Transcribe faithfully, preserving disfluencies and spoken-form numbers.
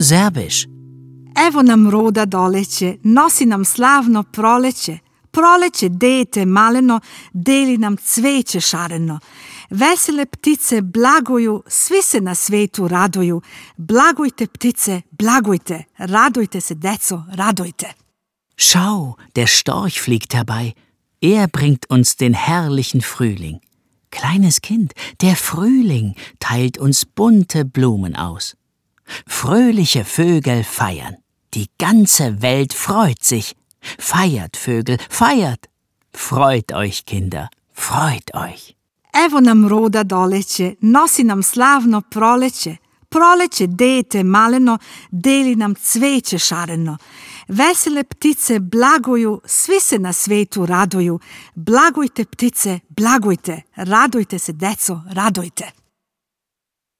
Serbisch. Evo nam roda doleće, nosi nam slavno proleće. Proleće dete maleno, deli nam cveće šareno. Vesele ptice blaguju, svi se na svetu raduju. Blagujte ptice, blagujte, radujte se deco, radujte. Schau, der Storch fliegt herbei. Er bringt uns den herrlichen Frühling. Kleines Kind, der Frühling teilt uns bunte Blumen aus. Fröhliche Vögel feiern. Die ganze Welt freut sich. Feiert, Vögel, feiert! Freut euch, Kinder, freut euch! Evo nam roda doleće, nosi nam slavno proleće. Proleće dete maleno, deli nam cveće šareno. Vesele ptice blaguju, svi se na svetu raduju. Blagujte ptice, blagujte, radujte se deco, radujte.